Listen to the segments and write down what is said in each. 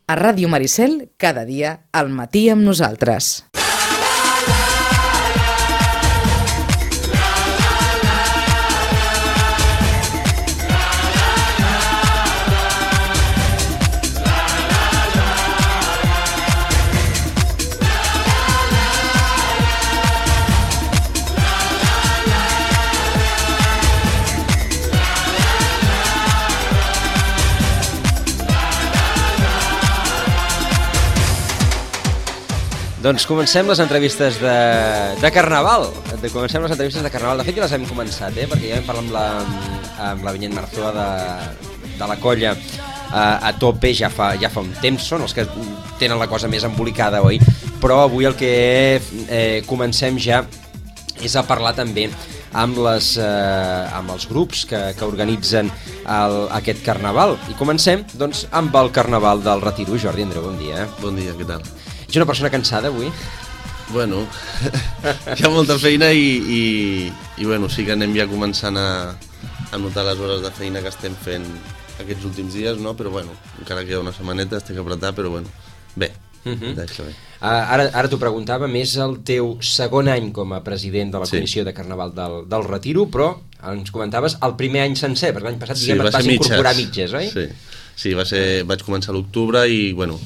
A Ràdio Maricel, cada dia, al matí amb nosaltres. Doncs comencem les entrevistes de Carnaval. Comencem les entrevistes de Carnaval. De fet, ja les hem començat, perquè ja vam parlar amb la Vinyet Marzoa de la colla a tope ja fa un temps. Són els que tenen la cosa més embolicada, oi? Però avui el que comencem ja és a parlar també amb els grups que organitzen aquest Carnaval. I comencem doncs, amb el Carnaval del Retiro. Jordi Andreu, bon dia. Bon dia, què tal? Ets una persona cansada avui? Bueno, hi ha molta feina i bueno, sí que anem ja començant a notar les hores de feina que estem fent aquests últims dies, no? Però bueno, encara queda una setmaneta, estic apretat, però bueno, bé, deixa bé. Ara t'ho preguntava, és el teu segon any com a president de la Comissió de Carnaval del Retiro, però ens comentaves el primer any sencer, perquè l'any passat et vas incorporar mitges, oi? Sí, vaig començar a l'octubre i bueno,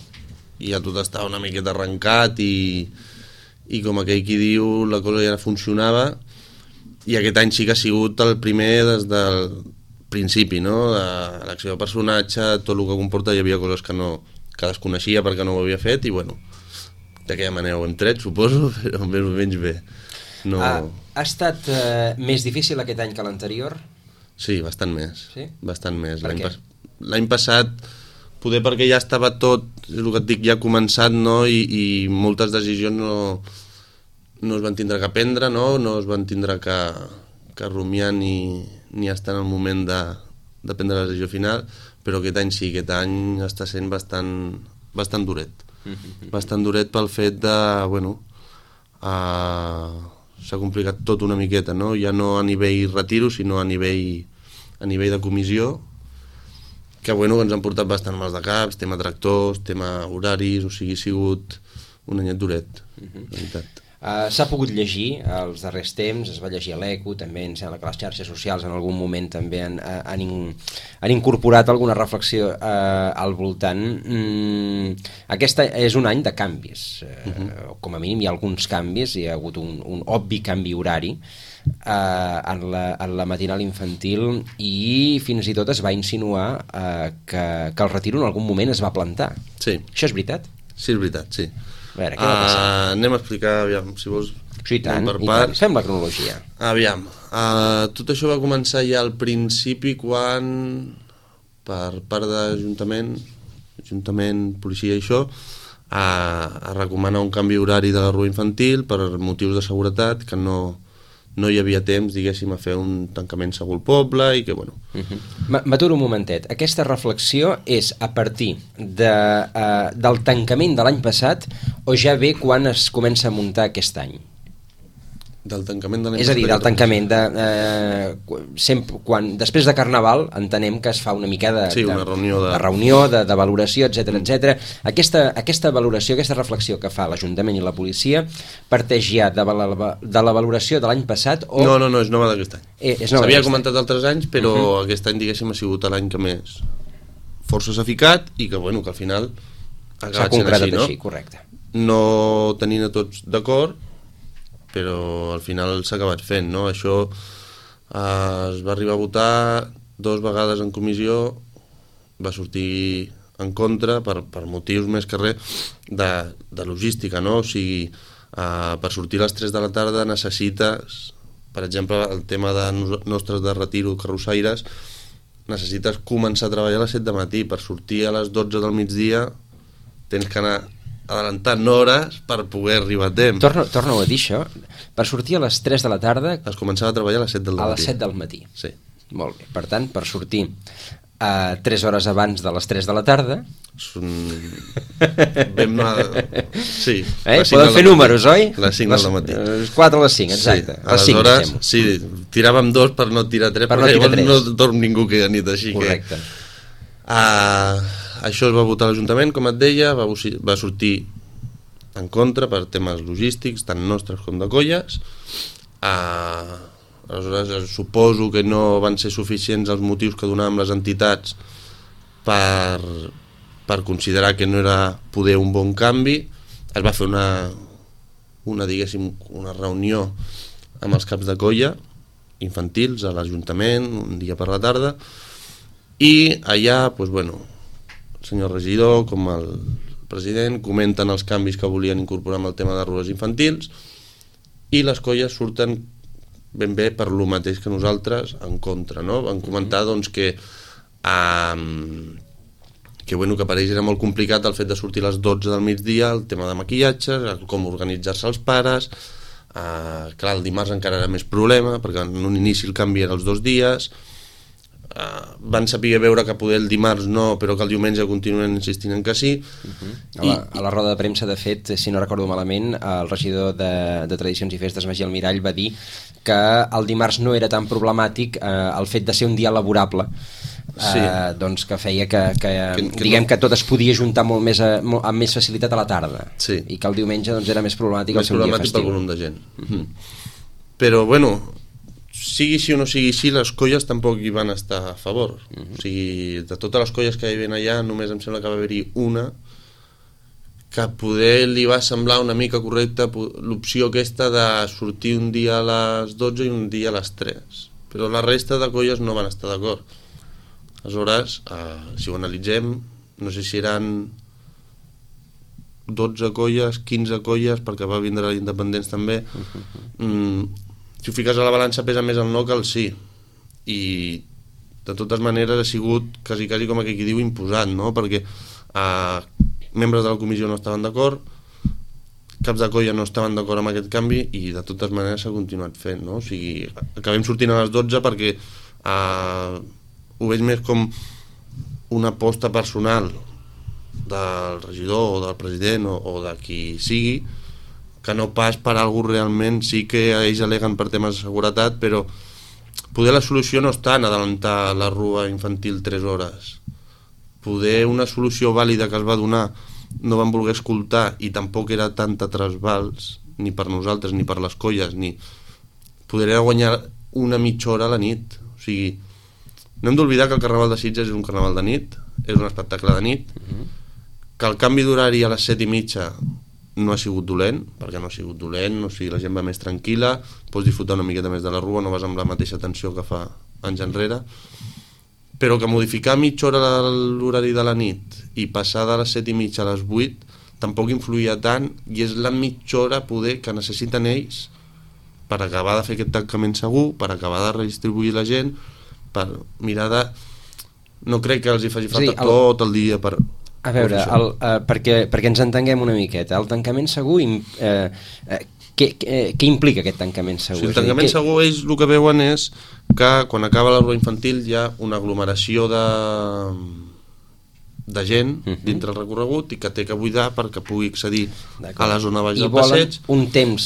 ja tot estava una miqueta arrencat i com aquell qui diu la cosa ja funcionava, i aquest any sí que ha sigut el primer des del principi, no? L'acció de personatge, tot el que comporta, hi havia coses que desconeixia perquè no ho havia fet i bueno, d'aquella manera ho hem tret, suposo, però més o menys bé. No... Ha estat més difícil aquest any que l'anterior? Sí, bastant més. Sí? Bastant més. Per què? L'any passat poder perquè ja estava tot, és el que et dic, ja començat, no? I moltes decisions no es van tindre que prendre, no es van tindre que rumiar ni estar en el moment de prendre la decisió final, però aquest any sí, aquest any està sent bastant duret. Bastant duret pel fet de, bueno, s'ha complicat tot una miqueta, no? Ja no a nivell retiro, sinó a nivell de comissió, que bueno, ens han portat bastant mals de caps, tema tractors, tema horaris, o sigui, ha sigut un anyet duret, la veritat. S'ha pogut llegir els darrers temps, es va llegir a l'Eco, també em sembla que les xarxes socials en algun moment també han incorporat alguna reflexió al voltant. Aquest és un any de canvis, com a mínim hi ha alguns canvis, hi ha hagut un obvi canvi horari en la matinal infantil i fins i tot es va insinuar que el Retiro en algun moment es va plantar. Sí. Això és veritat? Sí, és veritat, sí. A veure, què va passar? Anem a explicar, aviam, si vols... Sí, tant. Fem la cronologia. Aviam, tot això va començar ja al principi quan, per part d'Ajuntament, policia i això, a recomanar un canvi horari de la rua infantil per motius de seguretat, que no hi havia temps, diguéssim, a fer un tancament segur al poble i que, bueno... M'aturo un momentet. Aquesta reflexió és a partir del tancament de l'any passat o ja ve quan es comença a muntar aquest any? Del tancament de l'any passat. És a dir, del tancament després de Carnaval entenem que es fa una mica una reunió, de valoració, etc. Aquesta valoració, aquesta reflexió que fa l'Ajuntament i la policia parteix ja de la valoració de l'any passat o... No, és nova d'aquest any. S'havia comentat altres anys, però aquest any, diguéssim, ha sigut l'any que més força s'ha ficat i que, bueno, que al final ha acabat sent així, no? Correcte. No tenint a tots d'acord, però al final s'ha acabat fent, no? Això es va arribar a votar 2 vegades en comissió, va sortir en contra per motius més que res de logística, no? O sigui, per sortir a les 3 de la tarda necessites, per exemple, el tema nostres de Retiro, carrossaires, necessites començar a treballar a les 7 de matí, per sortir a les 12 del migdia tens que anar adelantant hores per poder arribar a temps. Torna-ho a dir, això. Per sortir a les 3 de la tarda... Es començava a treballar a les 7 del matí. A les 7 del matí. Sí. Molt bé. Per tant, per sortir 3 hores abans de les 3 de la tarda... Sí. Podem fer números, oi? Les 5 del matí. 4 a les 5, exacte. Sí, aleshores, sí, tiràvem 2 per no tirar 3, perquè llavors no dorm ningú aquella nit, així correcte. que... això es va votar a l'Ajuntament, com et deia, va sortir en contra per temes logístics, tant nostres com de colles. Aleshores, suposo que no van ser suficients els motius que donàvem les entitats per considerar que no era poder un bon canvi. Es va fer una reunió amb els caps de colla infantils a l'Ajuntament un dia per la tarda, i allà, doncs, bueno, el senyor regidor com el president comenten els canvis que volien incorporar amb el tema de rules infantils, i les colles surten ben bé per lo mateix que nosaltres en contra, no? Van comentar doncs que bueno, que per ells era molt complicat el fet de sortir a les 12 del migdia, el tema de maquillatges, com organitzar-se els pares. Clar, el dimarts encara era més problema, perquè en un inici el canvi era els 2 dies. Van saber veure que poder el dimarts no, però que el diumenge continuen insistint en que sí. A la roda de premsa, de fet, si no recordo malament, el regidor de Tradicions i Festes, Magí Almirall, va dir que el dimarts no era tan problemàtic el fet de ser un dia laborable, doncs que feia que diguem que tot es podia juntar molt més amb més facilitat a la tarda, i que el diumenge doncs era més problemàtic el seu dia festiu. Pel volum de gent. Però bueno, sigui així o no sigui així, les colles tampoc hi van estar a favor. O sigui, de totes les colles que hi havia allà, només em sembla que va haver-hi una que poder li va semblar una mica correcta l'opció aquesta de sortir un dia a les 12 i un dia a les 3, però la resta de colles no van estar d'acord. Aleshores, si ho analitzem, no sé si eren 12 colles, 15 colles, perquè va vindre l'Independents també. Si ho fiques a la balança pesa més el no que el sí, i de totes maneres ha sigut quasi com aquí diu imposat, no? Perquè membres de la comissió no estaven d'acord, caps de colla no estaven d'acord amb aquest canvi, i de totes maneres s'ha continuat fent, no? O sigui, acabem sortint a les 12 perquè ho veig més com una aposta personal del regidor o del president o de qui sigui, que no pas per algú realment. Sí que ells aleguen per temes de seguretat, però poder la solució no està en adelantar la rua infantil 3 hores. Poder una solució vàlida que es va donar no van voler escoltar, i tampoc era tanta trasbals ni per nosaltres ni per les colles, ni poder guanyar una mitja hora a la nit. O sigui, no hem d'oblidar que el Carnaval de Sitges és un carnaval de nit, és un espectacle de nit, que el canvi d'horari a les 7:30 no ha sigut dolent, perquè no ha sigut dolent, o sigui, la gent va més tranquil·la, pots disfrutar una miqueta més de la rua, no vas amb la mateixa tensió que fa anys enrere, però que modificar mitja hora l'horari de la nit i passar de les 7:30 a les 8 tampoc influïa tant, i és la mitja hora poder que necessiten ells per acabar de fer aquest tancament segur, per acabar de redistribuir la gent, per mirar de... No crec que els hi faci falta tot el dia per... A veure, perquè ens entenguem una miqueta, el tancament segur, què implica aquest tancament segur? O sigui, el tancament segur, ells el que veuen és que quan acaba la rua infantil hi ha una aglomeració de gent dintre el recorregut, i que té que buidar perquè pugui accedir a la zona baix del passeig. I volen un temps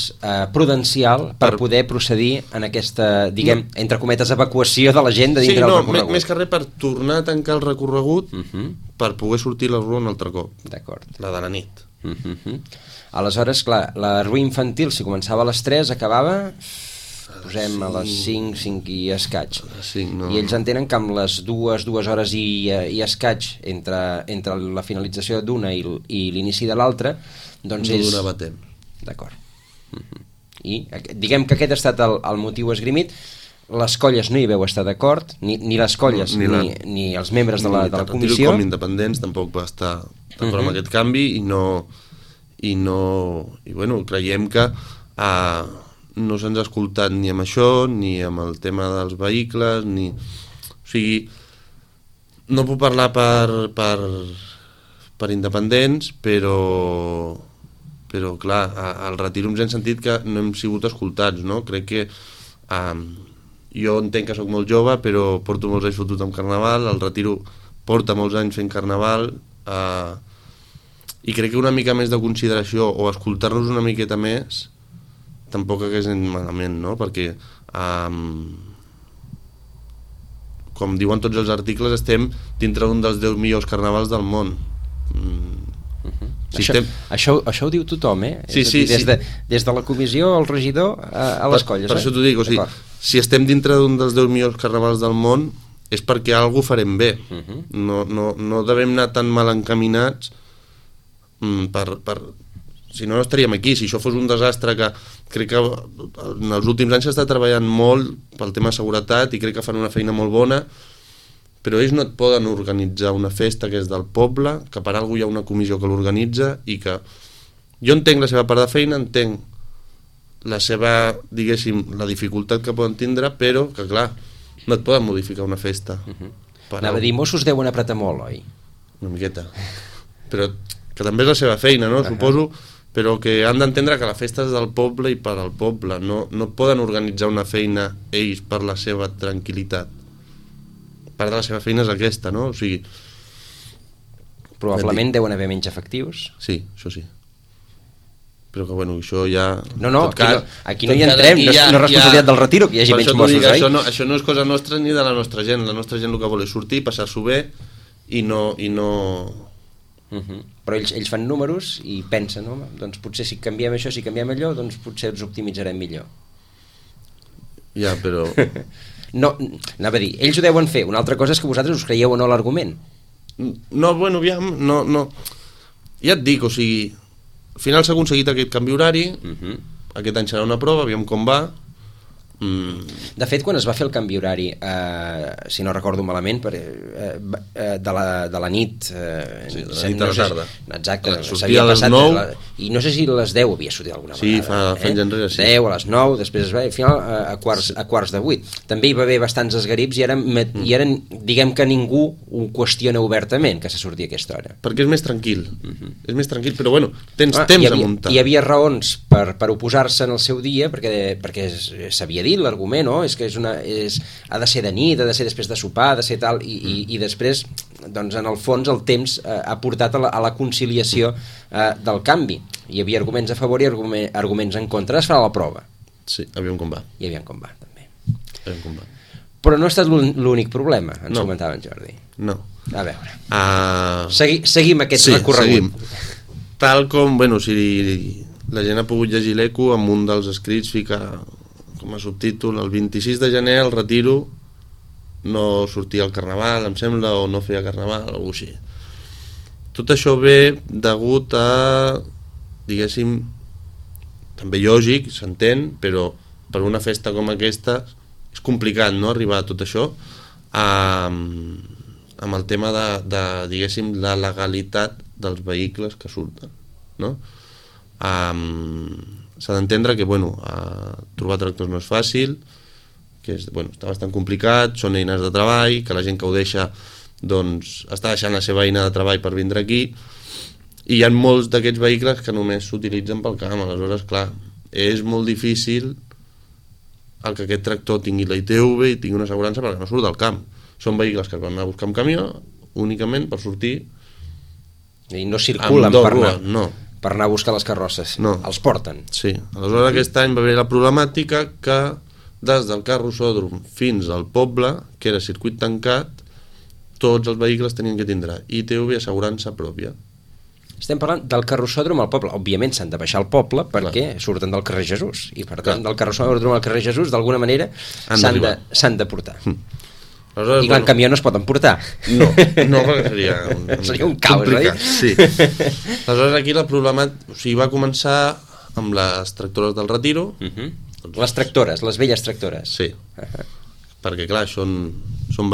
prudencial per poder procedir en aquesta, diguem, entre cometes, evacuació de la gent de dintre del recorregut. Més que res per tornar a tancar el recorregut per poder sortir la rua un altre cop. D'acord. La de la nit. Aleshores, clar, la rua infantil, si començava a les 3, acabava... posem a les 5 i escaig, i ells entenen que amb les 2 hores i escaig entre la finalització d'una i l'inici de l'altra, doncs no donava temps. D'acord. I diguem que aquest ha estat el motiu esgrimit. Les colles no hi veu estar d'acord, ni les colles ni els membres de la comissió, com Independents tampoc va estar d'acord amb aquest canvi, i bueno, creiem que no se'ns ha escoltat ni amb això, ni amb el tema dels vehicles, ni... O sigui, no puc parlar per Independents, però clar, al retiro ens hem sentit que no hem sigut escoltats, no? Crec que jo entenc que sóc molt jove, però porto molts anys fotut amb Carnaval, el retiro porta molts anys fent Carnaval, i crec que una mica més de consideració o escoltar-nos una miqueta més tampoc hagués anat malament, no? Perquè com diuen tots els articles, estem dintre d'un dels 10 millors carnavals del món. Això ho diu tothom, Sí, des de la comissió, el regidor, a les colles. Per això t'ho dic, o sigui, si estem dintre d'un dels 10 millors carnavals del món és perquè alguna cosa farem bé. No devem anar tan mal encaminats si no estaríem aquí. Si això fos un desastre, que crec que en els últims anys s'està treballant molt pel tema de seguretat i crec que fan una feina molt bona, però ells no et poden organitzar una festa que és del poble, que per alguna cosa hi ha una comissió que l'organitza i que jo entenc la seva part de feina, entenc la seva, diguéssim, la dificultat que poden tindre, però que clar, no et poden modificar una festa. Anava a dir, Mossos deuen apretar molt, oi? Una miqueta. Però que també és la seva feina, no? Suposo, però que han d'entendre que la festa és del poble i per al poble. No poden organitzar una feina ells per la seva tranquil·litat. Part de la seva feina és aquesta, no? O sigui... Probablement deuen haver menys efectius. Sí, això sí. Però que, bueno, això ja... No, aquí no hi entrem, no és responsabilitat del Retiro que hi hagi menys Mossos, oi? Això no és cosa nostra ni de la nostra gent. La nostra gent el que vol és sortir, passar-s'ho bé i no... Però ells fan números i pensen, no? Doncs potser si canviem això, si canviem allò, doncs potser ens optimitzarem millor. Ja, però... No, anava a dir, ells ho deuen fer. Una altra cosa és que vosaltres us creieu o no l'argument. No, bueno, aviam, no. Ja et dic, o sigui... Al final s'ha aconseguit aquest canvi horari, aquest any serà una prova, aviam com va. De fet, quan es va fer el canvi horari, si no recordo malament, de la nit, de la nit a la tarda. Exacte, sortia a les 9 i no sé si a les 10 havia sortit alguna vegada. Sí, fa anys enrere, sí. 10, a les 9, després es va, al final a quarts de 8. També hi va haver bastants esgarips i eren, diguem que ningú ho qüestiona obertament que se surti a aquesta hora. Perquè és més tranquil, és més tranquil, però bueno, tens temps a muntar. Hi havia raons per oposar-se en el seu dia, perquè s'havia dit l'argument, no? És que ha de ser de nit, ha de ser després de sopar, ha de ser tal, i després, doncs, en el fons, el temps ha portat a la conciliació del canvi. Hi havia arguments a favor i arguments en contra. Es farà la prova. Sí, aviam com va. I aviam com va, també. Aviam com va. Però no ha estat l'únic problema, ens comentava en Jordi. No. A veure. Seguim aquest recorregut. Seguim. Tal com, bueno, si la gent ha pogut llegir l'eco, amb un dels escrits fica com a subtítol: el 26 de gener el Retiro no sortia al Carnaval, em sembla, o no feia Carnaval, o alguna cosa així. Tot això ve degut a, diguéssim, també lògic, s'entén, però per una festa com aquesta és complicat, no?, arribar a tot això amb el tema de diguéssim, la legalitat dels vehicles que surten, no? S'ha d'entendre que, bueno, trobar tractors no és fàcil, que està bastant complicat, són eines de treball, que la gent que ho deixa, doncs, està deixant la seva eina de treball per vindre aquí, i hi ha molts d'aquests vehicles que només s'utilitzen pel camp. Aleshores, clar, és molt difícil el que aquest tractor tingui la ITV i tingui una assegurança perquè no surt del camp. Són vehicles que es van anar a buscar amb camió únicament per sortir, i no circulen per anar a buscar les carrosses, no. Els porten. Sí, aleshores aquest any va haver la problemàtica que des del carrossòdrom fins al poble, que era circuit tancat, tots els vehicles tenien que tindre ITV i assegurança pròpia. Estem parlant del carrossòdrom al poble. Òbviament s'han de baixar al poble perquè surten del carrer Jesús, i per tant del carrossòdrom al carrer Jesús d'alguna manera s'han de portar. I clar, en camió no es poden portar. No, perquè seria un caos, oi? Sí. Aleshores aquí la problemàtica va començar amb les tractores del Retiro. Les tractores, les velles tractores. Sí, perquè clar, són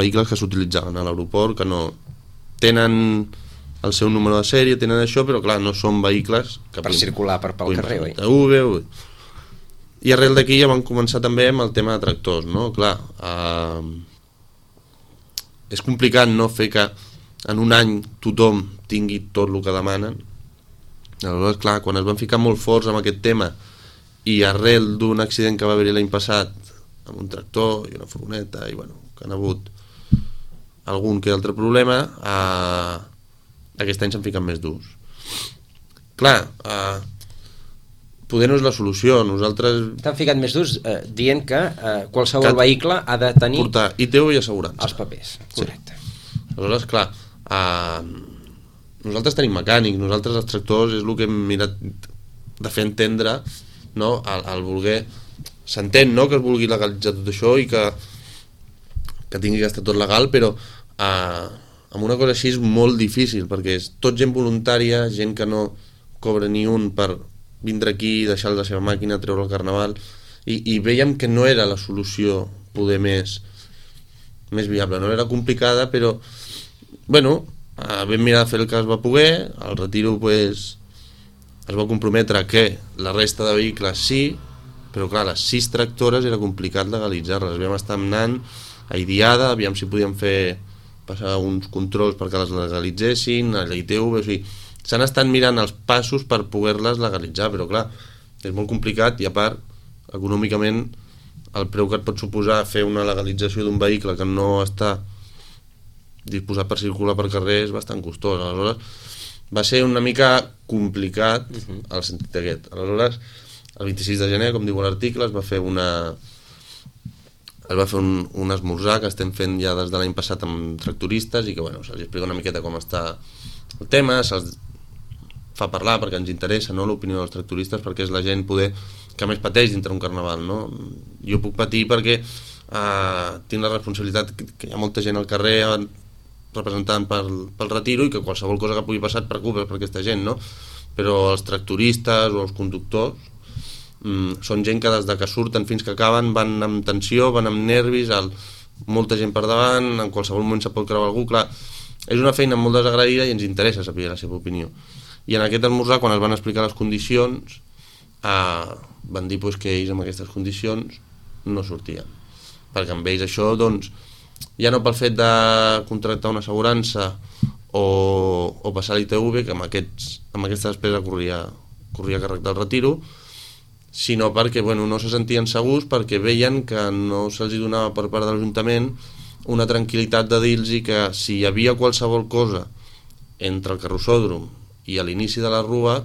vehicles que s'utilitzaven a l'aeroport, que no tenen el seu número de sèrie, tenen això, però clar, no són vehicles que per circular pel carrer, oi? I arrel d'aquí ja van començar també amb el tema de tractors, no? Clar, és complicat, no?, fer que en un any tothom tingui tot el que demanen. Aleshores, clar, quan es van ficar molt forts amb aquest tema i arrel d'un accident que va haver-hi l'any passat amb un tractor i una furgoneta, i bueno, que han hagut algun que altre problema, aquest any s'han ficat més durs. Clar, poder no és la solució. Nosaltres... T'han ficat més durs dient que qualsevol vehicle ha de tenir... Portar ITV i assegurança. Els papers, correcte. Sí. Aleshores, clar, nosaltres tenim mecànics, nosaltres els tractors és el que hem mirat de fer entendre, no? El voler... S'entén, no?, que es vulgui legalitzar tot això i que tingui que estar tot legal, però amb una cosa així és molt difícil, perquè és tot gent voluntària, gent que no cobra ni un per vindre aquí, deixar la seva màquina, treure el carnaval, i veiem que no era la solució poder més viable, no era complicada, però bueno, vam mirar de fer el que es va poder. El Retiro pues, es va comprometre que la resta de vehicles sí, però clar, les 6 tractores era complicat legalitzar-les. Vam estar anant a Idiada, aviam si podíem passar uns controls perquè les legalitzessin, a l'ITV, o sigui, s'han estat mirant els passos per poder-les legalitzar, però clar, és molt complicat i a part, econòmicament, el preu que et pot suposar fer una legalització d'un vehicle que no està disposat per circular per carrer és bastant costós. Aleshores, va ser una mica complicat el sentit aquest. Aleshores, el 26 de gener, com diu l'article, es va fer un esmorzar que estem fent ja des de l'any passat amb tractoristes i que bueno, se'ls explica una miqueta com està el tema, se'ls fa parlar perquè ens interessa, no?, l'opinió dels tractoristes, perquè és la gent que més pateix dintre un carnaval, no? Jo puc patir perquè tinc la responsabilitat que hi ha molta gent al carrer representant pel Retiro i que qualsevol cosa que pugui passar et preocupa per aquesta gent, no? Però els tractoristes o els conductors són gent que des de que surten fins que acaben van amb tensió, van amb nervis, molta gent per davant, en qualsevol moment se pot creuar algú. Clar, és una feina molt desagraïda i ens interessa saber la seva opinió. I en aquest esmorzar, quan es van explicar les condicions, van dir pues, que ells amb aquestes condicions no sortien, perquè amb ells això, doncs, ja no pel fet de contractar una assegurança o passar a l'ITV, que amb aquesta despesa corria a càrrec del Retiro, sinó perquè bueno, no se sentien segurs, perquè veien que no se'ls donava per part de l'Ajuntament una tranquil·litat de dir-los que si hi havia qualsevol cosa entre el carrossòdrom i a l'inici de la rua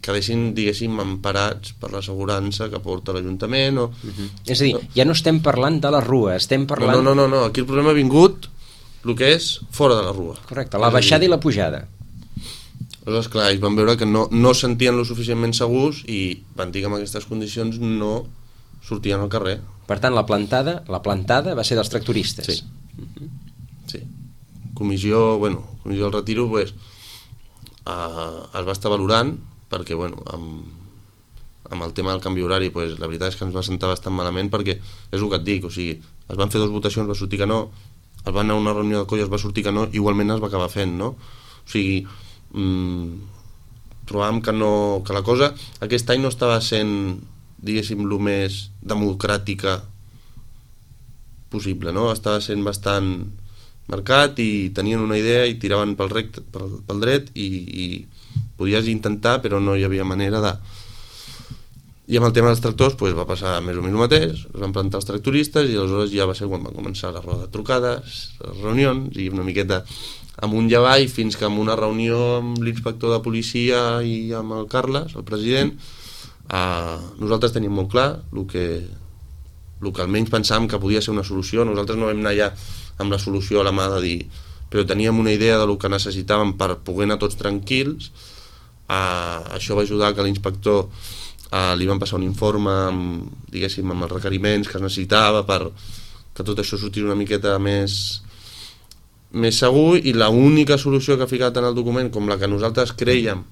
quedessin, diguéssim, emparats per l'assegurança que porta l'Ajuntament o... És a dir, ja no estem parlant de la rua, estem parlant... No, aquí el problema ha vingut el que és fora de la rua. Correcte, la baixada i la pujada. Aleshores, clar, ells van veure que no sentien lo suficientment segurs i van dir que en aquestes condicions no sortien al carrer. Per tant, la plantada va ser dels tractoristes. Sí. Sí. Comissió del Retiro, pues, es va estar valorant perquè, bueno, amb el tema del canvi horari, pues, la veritat és que ens va sentar bastant malament perquè és el que et dic, o sigui, es van fer 2 votacions, va sortir que no, es va anar a una reunió de colla, es va sortir que no, igualment es va acabar fent, no? O sigui, trobàvem que la cosa aquest any no estava sent, diguéssim, el més democràtica possible, no? Estava sent bastant marcat i tenien una idea i tiraven pel dret i podies intentar, però no hi havia manera de... I amb el tema dels tractors pues, va passar més o menys el mateix, es van plantar els tractoristes i aleshores ja va ser quan van començar la roda de trucades, les reunions i una miqueta amunt i avall fins que en una reunió amb l'inspector de policia i amb el Carles, el president, nosaltres teníem molt clar el que almenys pensàvem que podia ser una solució. Nosaltres no vam anar ja amb la solució a la mà de dir, però teníem una idea del que necessitàvem per poder anar tots tranquils. Això va ajudar que l'inspector li van passar un informe amb els requeriments que es necessitava per que tot això sortís una miqueta més segur, i l'única solució que ha ficat en el document, com la que nosaltres creiem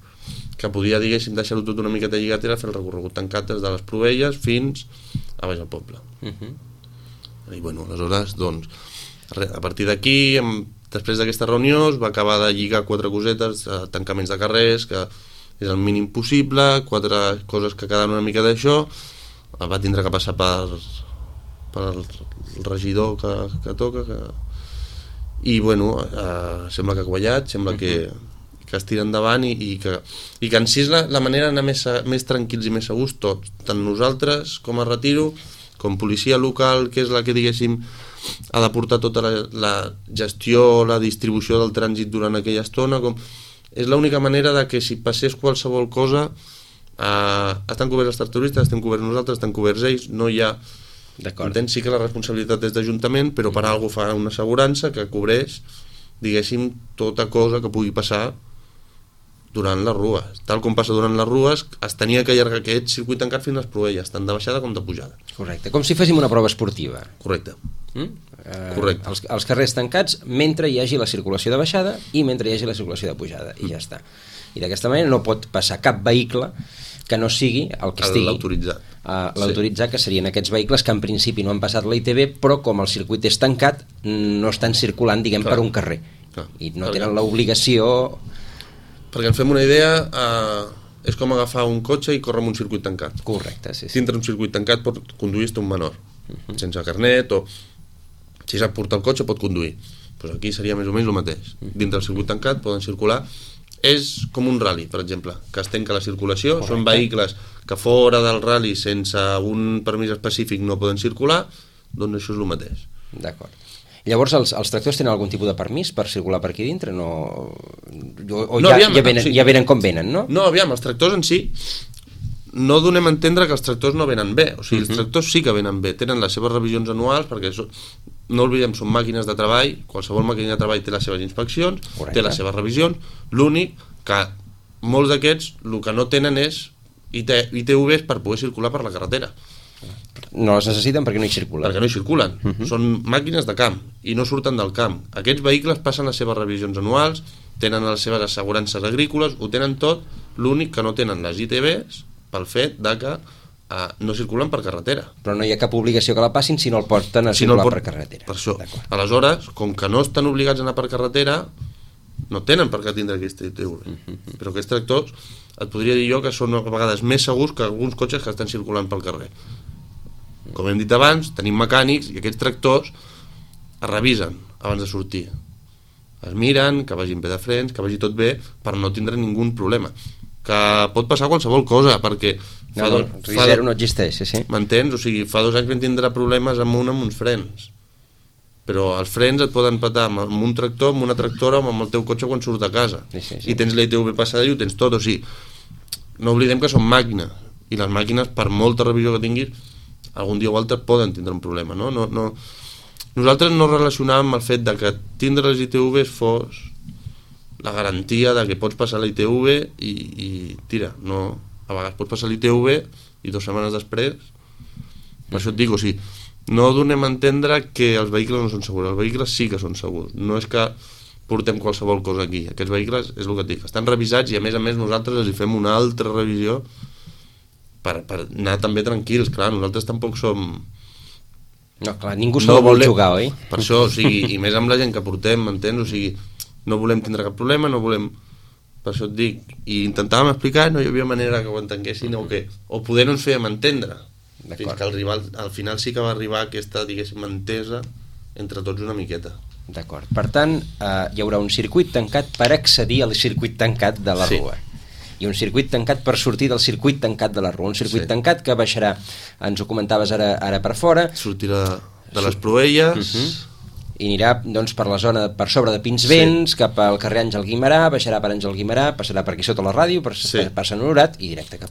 que podia, diguéssim, deixar-ho tot una miqueta lligat, era fer el recorregut tancat des de les Provelles fins a baix al poble. I bueno, aleshores, doncs, a partir d'aquí, després d'aquesta reunió, es va acabar de lligar 4 cosetes, tancaments de carrers, que és el mínim possible, 4 coses que quedaven una mica d'això, va tindre que passar per el regidor que toca, i bueno, sembla que ha quallat, sembla que es tira endavant i que en si és la manera d'anar més tranquils i més segurs tots, tant nosaltres com a Retiro, com policia local, que és la que, diguéssim, ha de portar tota la gestió, la distribució del trànsit durant aquella estona, és l'única manera de que si passés qualsevol cosa estan coberts els tractoristes, estem coberts nosaltres, estan coberts ells, no hi ha... Entens? Sí que la responsabilitat és d'Ajuntament, però per alguna cosa fa una assegurança que cobreix, diguéssim, tota cosa que pugui passar durant les rues. Tal com passa durant les rues, es tenia que allargar aquest circuit tancat fins a les Proelles, tant de baixada com de pujada. Correcte, com si féssim una prova esportiva. Correcte. Correcte. Els carrers tancats mentre hi hagi la circulació de baixada i mentre hi hagi la circulació de pujada, i ja està. I d'aquesta manera no pot passar cap vehicle que no sigui el que estigui l'autoritzat, que serien aquests vehicles que en principi no han passat la ITV, però com el circuit és tancat no estan circulant, diguem, per un carrer. I no tenen l'obligació... Perquè ens fem una idea, és com agafar un cotxe i córrer amb un circuit tancat. Correcte, sí. Dintre un circuit tancat pot conduir-te un menor, sense carnet, o si sap portar el cotxe pot conduir. Pues aquí seria més o menys el mateix. Dintre del circuit tancat poden circular. És com un rally, per exemple, que es tanca la circulació. Correcte. Són vehicles que fora del rally sense un permís específic no poden circular, doncs això és el mateix. D'acord. Llavors els tractors tenen algun tipus de permís per circular per aquí dintre? Ja venen com venen, no? No, aviam, els tractors en si no donem a entendre que els tractors no venen bé. O sigui, els tractors sí que venen bé, tenen les seves revisions anuals, perquè no oblidem, són màquines de treball, qualsevol màquina de treball té les seves inspeccions, correcte, té les seves revisions. L'únic que molts d'aquests el que no tenen és ITVs per poder circular per la carretera. No les necessiten perquè no hi circulen. Perquè no hi circulen. Són màquines de camp i no surten del camp. Aquests vehicles passen les seves revisions anuals, tenen les seves assegurances agrícoles, ho tenen tot, l'únic que no tenen les ITVs pel fet de que no circulen per carretera. Però no hi ha cap obligació que la passin si no el porten a circular per carretera. Per això. Aleshores, com que no estan obligats a anar per carretera, no tenen per què tindre aquesta ITV. Però aquests tractors et podria dir jo que són a vegades més segurs que alguns cotxes que estan circulant pel carrer. Com hem dit abans, tenim mecànics i aquests tractors es revisen abans de sortir. Es miren, que vagin bé de frens, que vagi tot bé, per no tindre ningú problema. Que pot passar qualsevol cosa, perquè... Zero no existeix, sí. M'entens? O sigui, fa 2 anys vam tindre problemes amb uns frens. Però els frens et poden petar amb un tractor, amb una tractora o amb el teu cotxe quan surts de casa. Sí. I tens la ITV passada i ho tens tot. O sigui, no oblidem que són màquines. I les màquines, per molta revisió que tinguis, algun dia o altre poden tindre un problema, no? Nosaltres no relacionàvem el fet de que tindre les ITVs fos la garantia de que pots passar la ITV i tira, no, a vegades pots passar l'ITV i 2 setmanes després, per això et dic, o sigui, no donem a entendre que els vehicles no són segurs, els vehicles sí que són segurs, no és que portem qualsevol cosa aquí, aquests vehicles, és el que et dic, estan revisats i a més nosaltres els hi fem una altra revisió per anar també tranquils, clar, nosaltres tampoc som... No, clar, ningú se vol jugar, oi? Per això, o sigui, i més amb la gent que portem, m'entens? O sigui, no volem tindre cap problema, no volem... Per això et dic, i intentàvem explicar, no hi havia manera que ho entenguessin o poder no ens fèiem entendre. Fins que el rival, al final sí que va arribar aquesta, diguéssim, entesa entre tots una miqueta. D'acord, per tant, hi haurà un circuit tancat per accedir al circuit tancat de la rua. I un circuit tancat per sortir del circuit tancat de la rua, un circuit tancat que baixarà, ens ho comentaves ara per fora, sortirà de les Proelles i anirà doncs, per la zona per sobre de Pinsbens, cap al carrer Àngel Guimerà, baixarà per Àngel Guimerà, passarà per aquí sota la ràdio, per Sant Honorat i directe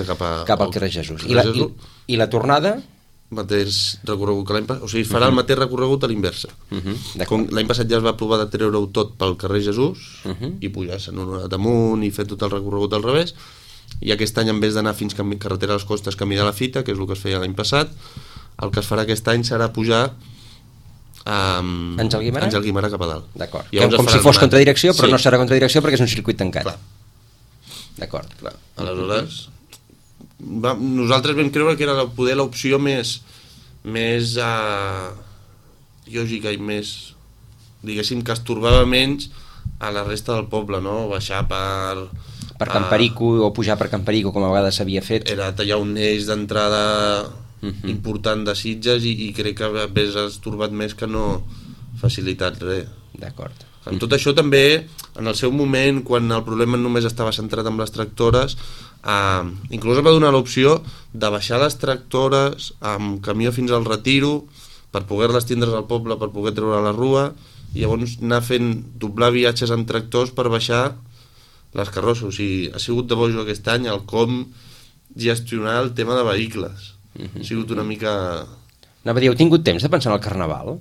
cap al carrer Jesús. I la tornada? Mateix recorregut que l'any passat, o sigui, farà el mateix recorregut a l'inversa. L'any passat ja es va aprovar de treure-ho tot pel carrer Jesús i pujar Sant Honorat amunt i fer tot el recorregut al revés, i aquest any en vez d'anar fins a carretera a les Costes camí de la Fita, que és el que es feia l'any passat, el que es farà aquest any serà pujar Àngel Guimerà cap a dalt. D'acord, com si fos contradirecció, però no serà contradirecció perquè és un circuit tancat. D'acord. Aleshores... nosaltres vam creure que era poder l'opció més lògica i més, diguéssim, que estorbava menys a la resta del poble, no? Baixar per Camperico o pujar per Camperico, com a vegades s'havia fet. Era tallar un eix d'entrada important de Sitges i crec que hauria estorbat més que no facilitat res. D'acord. En tot això també, en el seu moment, quan el problema només estava centrat en les tractores, inclús es va donar l'opció de baixar les tractores amb camió fins al Retiro per poder-les tindre al poble, per poder treure a la rua, i llavors anar fent doblar viatges amb tractors per baixar les carrosses. O sigui, ha sigut de bojo aquest any el com gestionar el tema de vehicles. Ha sigut una mica... Anava a dir, heu tingut temps de pensar en el Carnaval?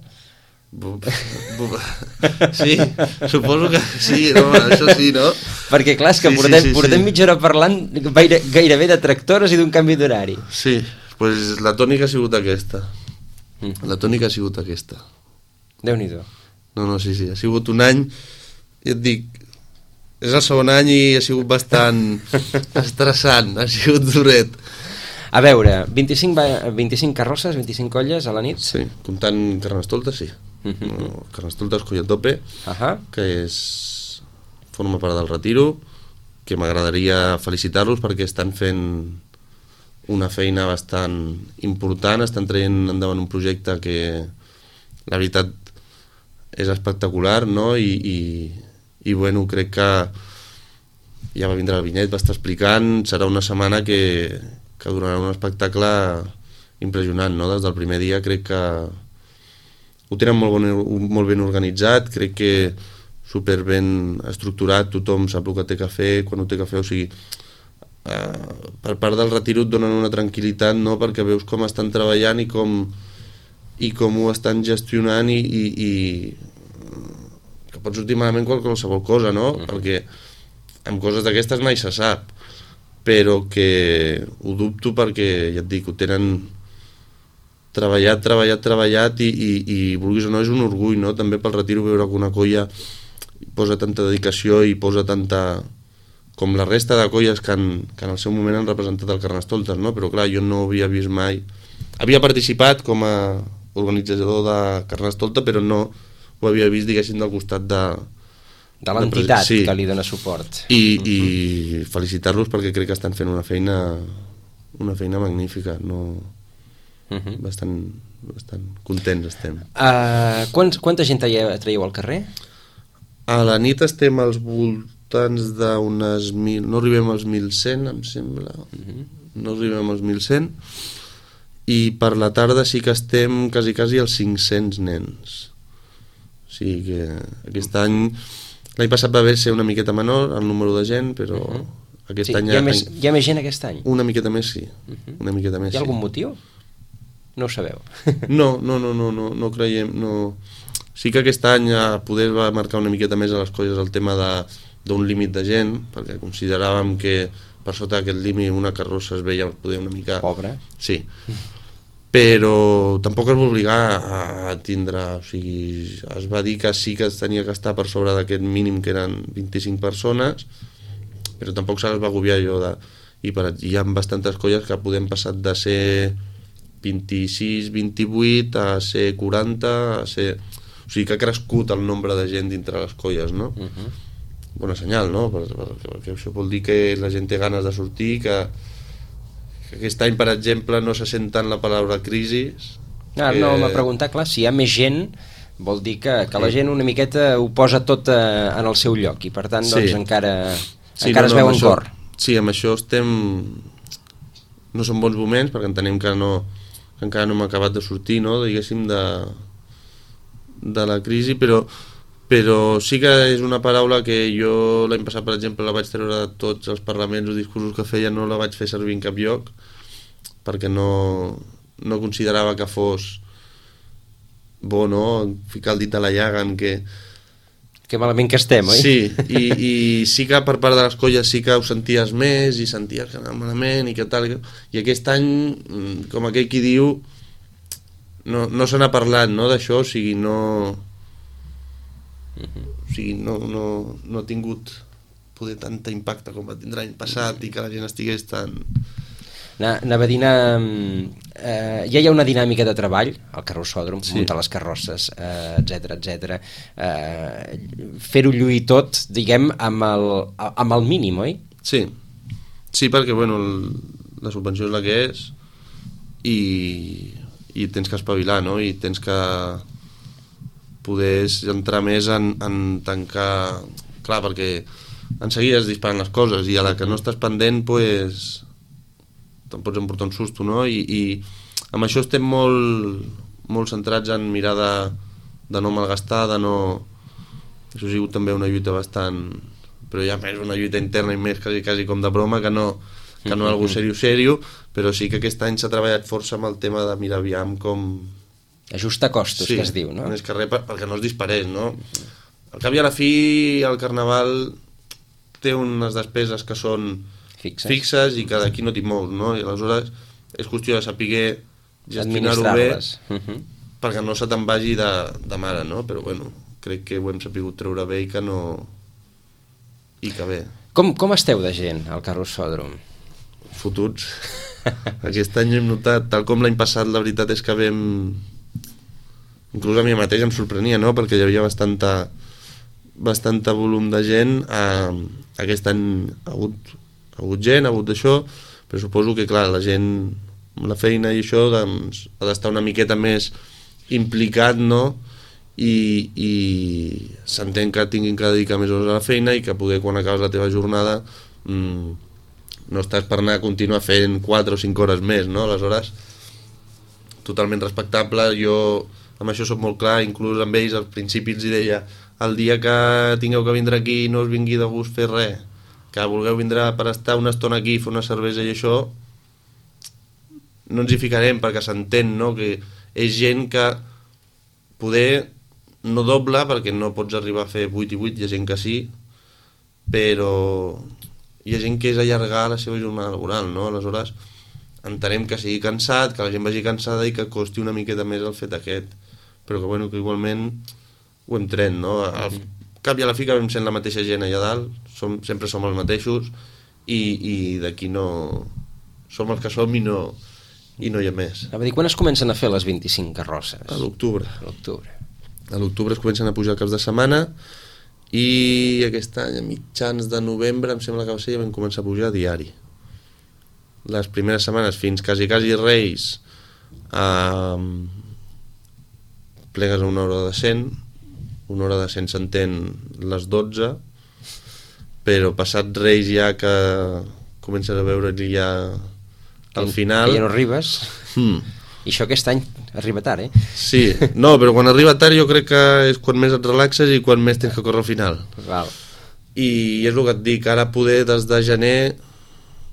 Sí, suposo que sí, no? Això sí, no? Perquè clar, és que portem mitja hora parlant gairebé de tractores i d'un canvi d'horari. Sí, pues la tònica ha sigut aquesta. La tònica ha sigut aquesta. Déu-n'hi-do. No, sí, ha sigut un any, ja et dic, és el segon any i ha sigut bastant estressant, ha sigut duret. A veure, 25 carrosses, 25 colles a la nit? Sí, comptant Carnestoltes, sí. No, Carnestoltes Coll a Tope, que forma part del Retiro, que m'agradaria felicitar-los perquè estan fent una feina bastant important, estan traient endavant un projecte que la veritat és espectacular, no? I bueno, crec que ja va vindre el Vinyet, va estar explicant, serà una setmana que donarà un espectacle impressionant, no? Des del primer dia crec que ho tenen molt ben organitzat, crec que super ben estructurat, tothom sap el que té que fer, quan ho té que fer, o sigui, per part del Retiro et donen una tranquil·litat, no? Perquè veus com estan treballant i com ho estan gestionant i que pot sortir malament qualsevol cosa, no? Perquè amb coses d'aquestes mai se sap, però que ho dubto perquè, ja et dic, ho tenen treballat i vulguis o no és un orgull, no? També pel Retiro veure que una colla posa tanta dedicació i posa tanta... com la resta de colles que en el seu moment han representat el Carnestoltes, no? Però clar, jo no havia vist mai... Havia participat com a organitzador de Carnestolta, però no ho havia vist, diguéssim, del costat de l'entitat que li dona suport. I felicitar-los perquè crec que estan fent una feina magnífica, no... bastant contents estem. Quanta gent traieu al carrer? A la nit estem als voltants d'unes 1.000, no arribem als 1.100, em sembla, no arribem als 1.100, i per la tarda sí que estem quasi als 500 nens. O sigui que aquest any, l'any passat va haver ser una miqueta menor el número de gent, però aquest any... Hi ha més gent aquest any? Una miqueta més, sí. Una miqueta més, hi ha algun motiu? No ho sabeu? No creiem, no. Sí que aquest any poder va marcar una miqueta més a les colles el tema d'un límit de gent, perquè consideràvem que per sota d'aquest límit una carrossa es veia poder una mica... Pobre. Sí. Però tampoc es va obligar a tindre, o sigui, es va dir que sí que es tenia que estar per sobre d'aquest mínim que eren 25 persones, però tampoc se les va agobiar allò de... I hi ha bastantes colles que podem passar de ser 26, 28 a ser 40, a ser... O sigui que ha crescut el nombre de gent dintre les colles, no? Bona senyal, no? Perquè això vol dir que la gent té ganes de sortir, que aquest any, per exemple, no se sent tant la paraula crisi. No, m'ha preguntat, clar, si hi ha més gent vol dir que la gent una miqueta ho posa tot en el seu lloc i per tant doncs encara es veu en cor. Sí, amb això estem... No són bons moments perquè entenem que encara no hem acabat de sortir, no? Diguéssim, de la crisi, però sí que és una paraula que jo l'any passat, per exemple, la vaig treure de tots els parlaments o discursos que feia, no la vaig fer servir en cap lloc perquè no considerava que fos bo, no? Ficar el dit a la llaga en que malament que estem, oi? Sí, i sí que per part de les colles sí que ho senties més i senties que anava malament i que tal, i aquest any, com aquell qui diu, no se n'ha parlat, no, d'això, o sigui, no ha tingut poder tanta impacte com va tindre l'any passat i que la gent estigués tan... Anava a dir, ja hi ha una dinàmica de treball al carrossòdrom, muntar les carrosses, etc. Fer-ho lluir tot, diguem, amb el mínim, oi? Sí, perquè bueno, la subvenció és la que és i tens que espavilar, no? I tens que poder entrar més en tancar... Clar, perquè en seguida es disparen les coses i a la que no estàs pendent, pues, te'n pots emportar un susto, no? I amb això estem molt centrats en mirar de no malgastar, de no... Això ha sigut també una lluita bastant... Però ja més una lluita interna i més quasi com de broma, que que no algú sèrio, però sí que aquest any s'ha treballat força amb el tema de mirar aviam com... Ajustar costos, que es diu, no? Més que res perquè no es disparés, no? Al cap i a la fi, el Carnaval té unes despeses que són fixes i que d'aquí no t'hi mous, no? I aleshores és qüestió de saber gestionar-ho bé perquè no se te'n vagi de mare, no? Però bueno, crec que ho hem sabut treure bé i que no... i que bé. Com esteu de gent al Carrossòdrom? Fotuts. Aquest any hem notat, tal com l'any passat, la veritat és que vam... Inclús a mi mateix em sorprenia, no? Perquè hi havia bastanta volum de gent. Aquest any ha hagut gent, ha hagut d'això, però suposo que, clar, la gent amb la feina i això doncs, ha d'estar una miqueta més implicat, no? I s'entén que tinguin que dedicar més hores a la feina i que poder, quan acabes la teva jornada, no estàs per anar a continuar fent 4 o 5 hores més, no? Aleshores, totalment respectable. Jo amb això soc molt clar, inclús amb ells al principi els deia: el dia que tingueu que vindre aquí no us vingui de gust fer res, que vulgueu vindre per estar una estona aquí, fer una cervesa i això, no ens hi ficarem, perquè s'entén, no? Que és gent que poder no doble, perquè no pots arribar a fer 8 i 8, hi ha gent que sí, però hi ha gent que és allargar la seva jornada laboral, no? Aleshores entenem que sigui cansat, que la gent vagi cansada i que costi una miqueta més el fet aquest, però que, bueno, que igualment ho hem tret, no? Al cap i a la fi que vam sent la mateixa gent allà dalt, sempre som els mateixos i d'aquí no... som els que som i no hi ha més. A dir, quan es comencen a fer les 25 carrosses? A l'octubre. A l'octubre es comencen a pujar caps de setmana i aquest any, a mitjans de novembre, em sembla que va ser, ja vam començar a pujar a diari. Les primeres setmanes fins quasi Reis plegues a una hora de 100. Una hora de 100 s'entén les 12, però passat Reis ja que comences a veure-hi ja al final... Que ja no arribes. I això aquest any arriba tard, eh? Sí, no, però quan arriba tard jo crec que és quan més et relaxes i quan més tens que córrer al final. Val. I és el que et dic, ara poder des de gener,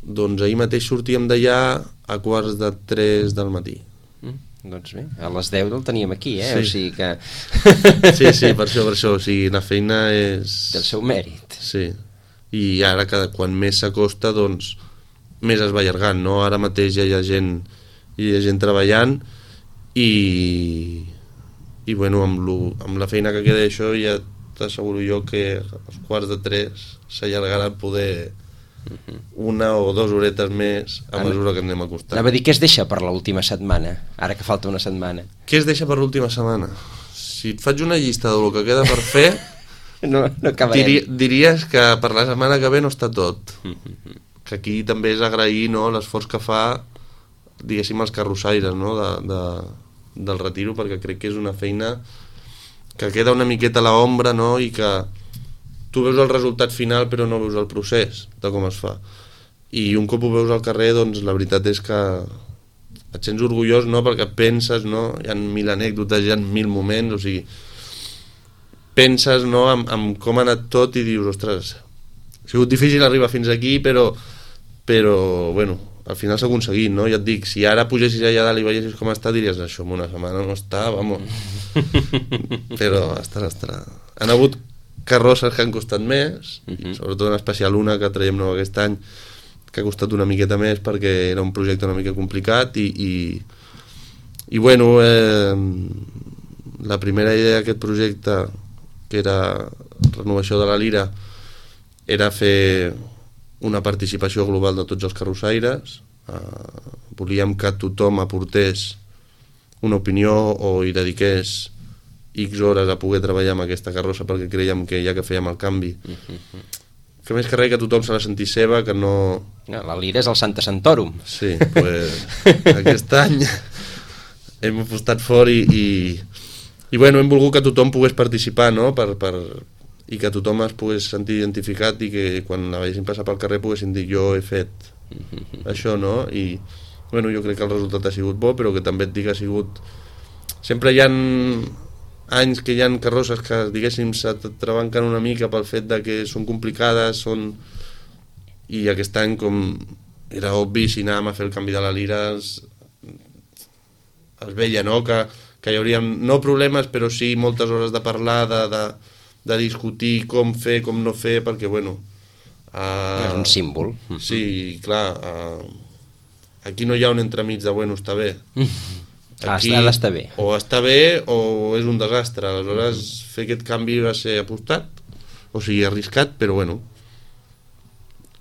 doncs ahir mateix sortíem d'allà a 2:45 del matí. Doncs bé, a les 10 el teníem aquí, eh? Sí. O sigui que... Sí, per això, o sigui, la feina és... Del seu mèrit. Sí, i ara quan més s'acosta, doncs, més es va allargant, no? Ara mateix ja hi ha gent treballant i bueno, amb la feina que queda això ja t'asseguro jo que als 2:45 s'allargarà poder 1 o 2 horetes més a mesura que anem acostant. Anava a dir, què es deixa per l'última setmana, ara que falta una setmana? Què es deixa per l'última setmana? Si et faig una llista del que queda per fer, no acabarem. Diries que per la setmana que ve no està tot. Que aquí també és agrair, no, l'esforç que fa, diguéssim, els carrossaires, no, del retiro, perquè crec que és una feina que queda una miqueta a l'ombra, no, i que tu veus el resultat final però no veus el procés de com es fa, i un cop ho veus al carrer, doncs la veritat és que et sents orgullós, no? Perquè penses, no? Hi ha 1.000 anècdotes, hi ha 1.000 moments, o sigui, penses, no, en com ha anat tot i dius, ostres, ha sigut difícil arribar fins aquí, però bueno, al final s'ha aconseguit, no? Ja et dic, si ara pugessis allà dalt i veiessis com està, diries, això en una setmana no està, vamos. Però estarà. Han hagut carrosses que han costat més, sobretot en especial una que traiem nova aquest any, que ha costat una miqueta més perquè era un projecte una mica complicat i bueno, la primera idea d'aquest projecte, que era renovació de la Lira, era fer una participació global de tots els carrossaires. Volíem que tothom aportés una opinió o hi dediqués X hores a poder treballar amb aquesta carrossa, perquè creiem que ja que fèiem el canvi, que més que res que tothom se la sentís seva, que no... La Lira és el Santa Santorum. Sí, pues aquest any hem apostat fort i bueno, hem volgut que tothom pogués participar, no? I que tothom es pogués sentir identificat i que quan la veiessin passar pel carrer poguessin dir jo he fet això, no? I bueno, jo crec que el resultat ha sigut bo, però que també et dic que ha sigut... Sempre hi ha anys que hi ha carrosses que, diguéssim, se trebanquen una mica pel fet de que són complicades, i aquest any, com era obvi, si anàvem a fer el canvi de la lira es veia, no?, que hi hauria no problemes, però sí moltes hores de parlar, de discutir com fer, com no fer, perquè, bueno... És un símbol. Sí, clar, aquí no hi ha un entremig de, bueno, està bé. Aquí, ha d'estar bé. O està bé o és un desastre. Aleshores, fer aquest canvi va ser apostat, o sigui, arriscat, però, bueno,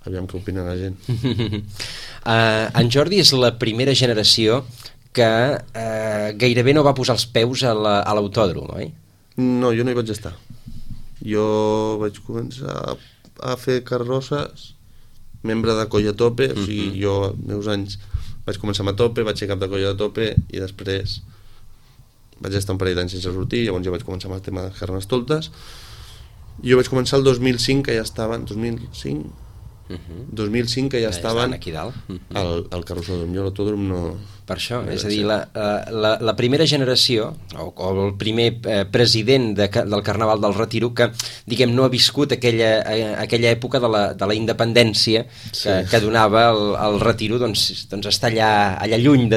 aviam què opina la gent. En Jordi és la primera generació que gairebé no va posar els peus a l'autòdrom, oi? No, jo no hi vaig estar. Jo vaig començar a fer carrosses, membre de Colla Tope, o sigui, jo als meus anys vaig començar amb a Tope, vaig ser cap de Colla de Tope i després vaig estar un parell d'anys sense sortir, llavors jo vaig començar amb el tema de Carnestoltes. Jo vaig començar el 2005, que ja estaven, 2005 que ja estaven aquí dalt. al carrossòdrom. Jo l'autòdrom no... Per això, és a dir, la primera generació, o el primer president del Carnaval del Retiro, que, diguem, no ha viscut aquella època de la independència que donava el Retiro, doncs està allà lluny de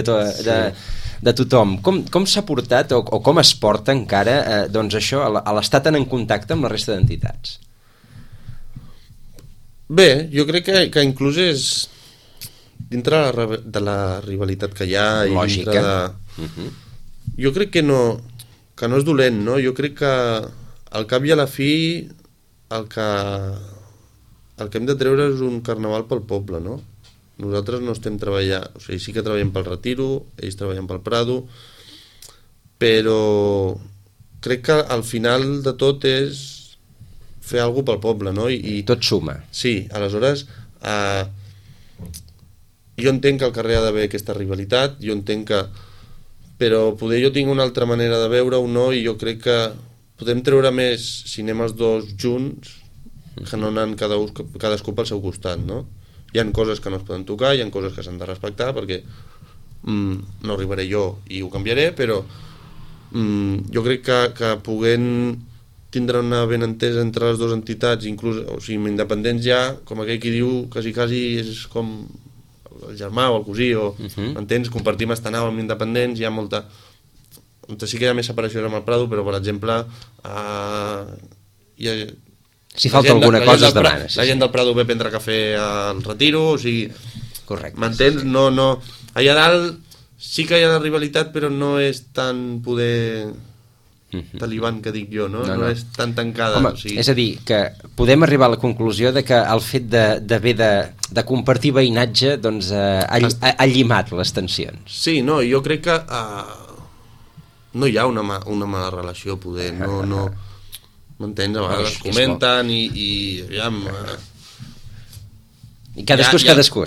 tothom. Com s'ha portat, o com es porta encara, doncs això, a l'estar tan en contacte amb la resta d'entitats? Bé, jo crec que inclús és dintre de la rivalitat que hi ha i lògica. Dintre de... Jo crec que no és dolent, no? Jo crec que al cap i a la fi el que hem de treure és un carnaval pel poble, no? Nosaltres no estem treballant, o sigui, sí que treballem pel Retiro, ells treballen pel Prado, però crec que al final de tot és fer alguna cosa pel poble, no? I tot suma. Sí, aleshores jo entenc que al carrer ha d'haver aquesta rivalitat, jo entenc que... Però poder jo tinc una altra manera de veure-ho, no? I jo crec que podem treure més si anem els dos junts que no anant cadascú pel seu costat, no? Hi ha coses que no es poden tocar, hi ha coses que s'han de respectar, perquè no arribaré jo i ho canviaré, però jo crec que puguem tindre una benentesa entre les dues entitats, inclús, o sigui, amb independents ja, com aquell qui diu, quasi és com el germà o el cosí, o m'entens? Compartim estanau amb independents, hi ha molta... Sí que hi ha més separació amb el Prado, però, per exemple, si falta alguna cosa es demana. La gent del Prado ve a prendre cafè al Retiro, o sigui... Correcte. M'entens? No... Allà dalt sí que hi ha la rivalitat, però no és tan poder... talibán que dic jo, no? No és tan tancada. Home, o sigui... És a dir, que podem arribar a la conclusió de que el fet d'haver de compartir veïnatge doncs, ha llimat les tensions. Sí, no, jo crec que no hi ha una mala relació, poder, no m'entens? A vegades comenten i aviam... I cadascú és cadascú,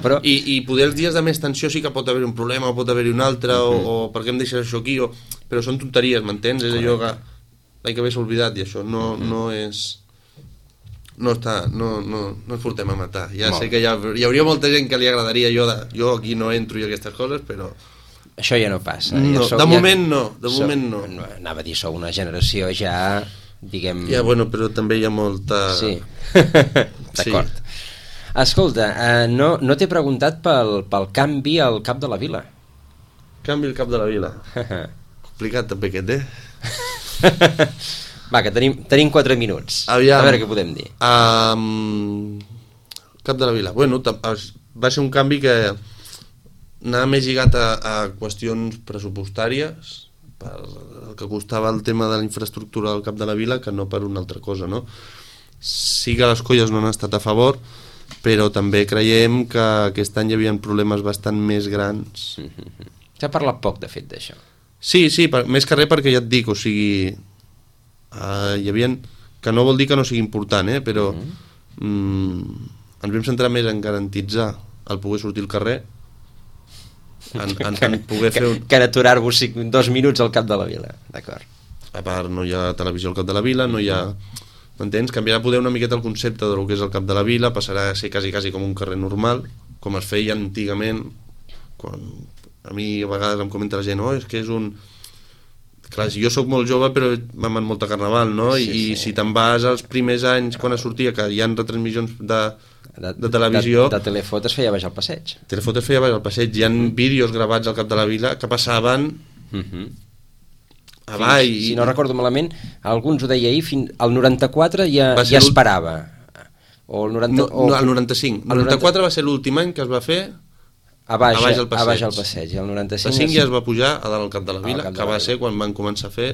però... I poder els dies de més tensió sí que pot haver un problema, o pot haver-hi un altre, o per què em deixes això aquí, però són tonteries, m'entens? És allò que l'any que ve s'ha oblidat, i això no és... No ens portem a matar. Ja sé que hi hauria molta gent que li agradaria jo aquí no entro i aquestes coses, però... Això ja no passa. De moment no. Anava a dir, sou una generació ja, diguem... Ja, bueno, però també hi ha molta... Sí, d'acord. Escolta, no t'he preguntat pel canvi al cap de la vila. Canvi al cap de la vila. Complicat també aquest, Va, que tenim 4 minuts. Aviam. A veure què podem dir. Cap de la vila. Bueno, va ser un canvi que anava més lligat a qüestions pressupostàries, per el que costava el tema de la infraestructura del cap de la vila, que no per una altra cosa, no? Sí que les colles no han estat a favor, però també creiem que aquest any hi havia problemes bastant més grans. S'ha parlat poc, de fet, d'això. Sí, més que res perquè ja et dic, o sigui, hi havia... que no vol dir que no sigui important, però ens vam centrar més en garantitzar el poder sortir al carrer, en poder fer que en aturar-vos 2 minuts al cap de la vila, d'acord. A part, no hi ha televisió al cap de la vila, no hi ha... M'entens? Canviarà poder una miqueta el concepte del que és el cap de la vila, passarà a ser quasi com un carrer normal, com es feia antigament, quan a mi a vegades em comenta la gent, és que és un... Clar, jo sóc molt jove però vam en molta carnaval, no? I si te'n vas als primers anys quan es sortia, que hi ha retransmissions de televisió. De Telefot es feia baix al passeig. Telefot es feia baix al passeig. Hi ha vídeos gravats al cap de la vila que passaven avall. Si no recordo malament, alguns ho deia ahir, al 94 ja esperava. O el 90, no, el 95. El 94 va ser l'últim any que es va fer a baix al passeig. El 95 el 5 ja es va pujar a dalt al cap de la vila, que va ser quan van començar a fer.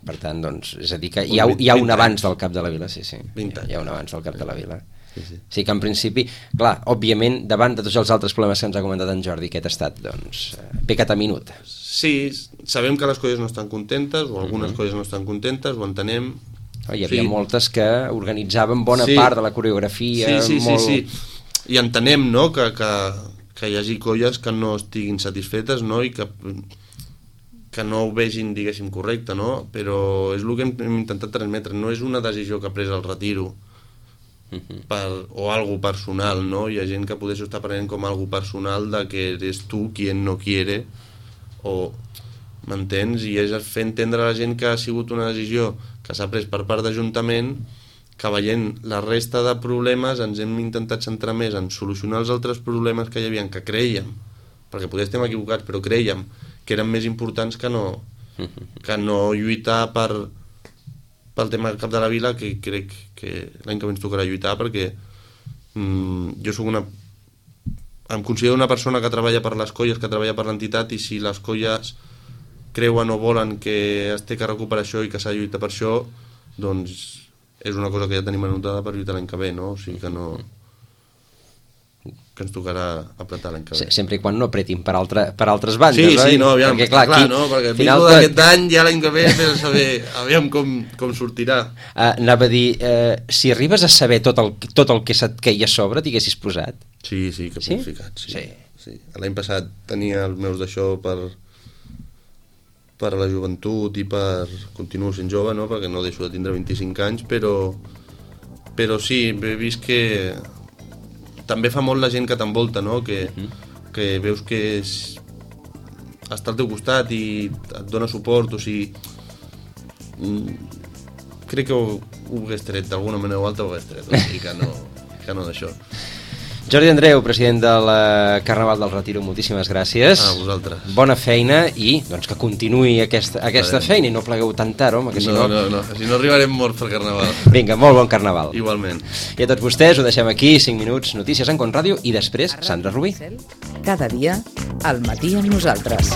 Per tant, doncs, és a dir que hi ha un abans del cap de la vila, sí. 20 anys. Hi ha un abans del cap de la vila. Sí. Que en principi, clar, òbviament, davant de tots els altres problemes que ens ha comentat en Jordi, aquest ha estat, doncs, pecat a minut. Sí, sabem que les colles no estan contentes, o algunes colles no estan contentes, ho entenem. Hi havia moltes que organitzaven bona part de la coreografia. Sí. I entenem, no?, que hi hagi colles que no estiguin satisfetes, no?, i que no ho vegin, diguéssim, correcte, no? Però és el que hem intentat transmetre. No és una decisió que ha pres el retiro o algo personal, no? Hi ha gent que potser s'ho està prenent com algo personal de que eres tu quien no quiere, o m'entens? I és fer entendre a la gent que ha sigut una decisió que s'ha pres per part d'Ajuntament, que veient la resta de problemes ens hem intentat centrar més en solucionar els altres problemes que hi havia, que creiem, perquè potser estem equivocats, però creiem que eren més importants que no lluitar pel tema del cap de la vila, que crec que l'any que ve ens tocarà lluitar, perquè jo soc em considero una persona que treballa per les colles, que treballa per l'entitat, i si les colles creuen o volen que es té que recuperar això i que s'ha de lluitar per això, doncs és una cosa que ja tenim anotada per lluitar l'any que ve, no? O sigui que ens tocarà apretar l'any que ve. Sempre i quan no apretin per altres bandes, oi? Sí, no, aviam, perquè, clar, no? Perquè el final d'aquest any, ja l'any que ve, saber, aviam com sortirà. Anava a dir, si arribes a saber tot el que se't queia a sobre, t'haguessis posat? Sí, que m'he ficat, sí. L'any passat tenia els meus d'això per la joventut i continuo sent jove, no? Perquè no deixo de tindre 25 anys, però sí, he vist que també fa molt la gent que t'envolta, no? Que veus que està al teu costat i et dona suport, o sigui, crec que ho hagués tret d'alguna manera o altra, ho hagués tret, o sigui que no d'això. Jordi Andreu, president del Carnaval del Retiro, moltíssimes gràcies. A vosaltres. Bona feina i doncs, que continuï aquesta feina i no plegueu tan tard, home, que si no... No, si no arribarem morts per Carnaval. Vinga, molt bon Carnaval. Igualment. I a tots vostès ho deixem aquí, 5 minuts, notícies en Con Ràdio i després Sandra Rubí. Cada dia, al matí amb nosaltres.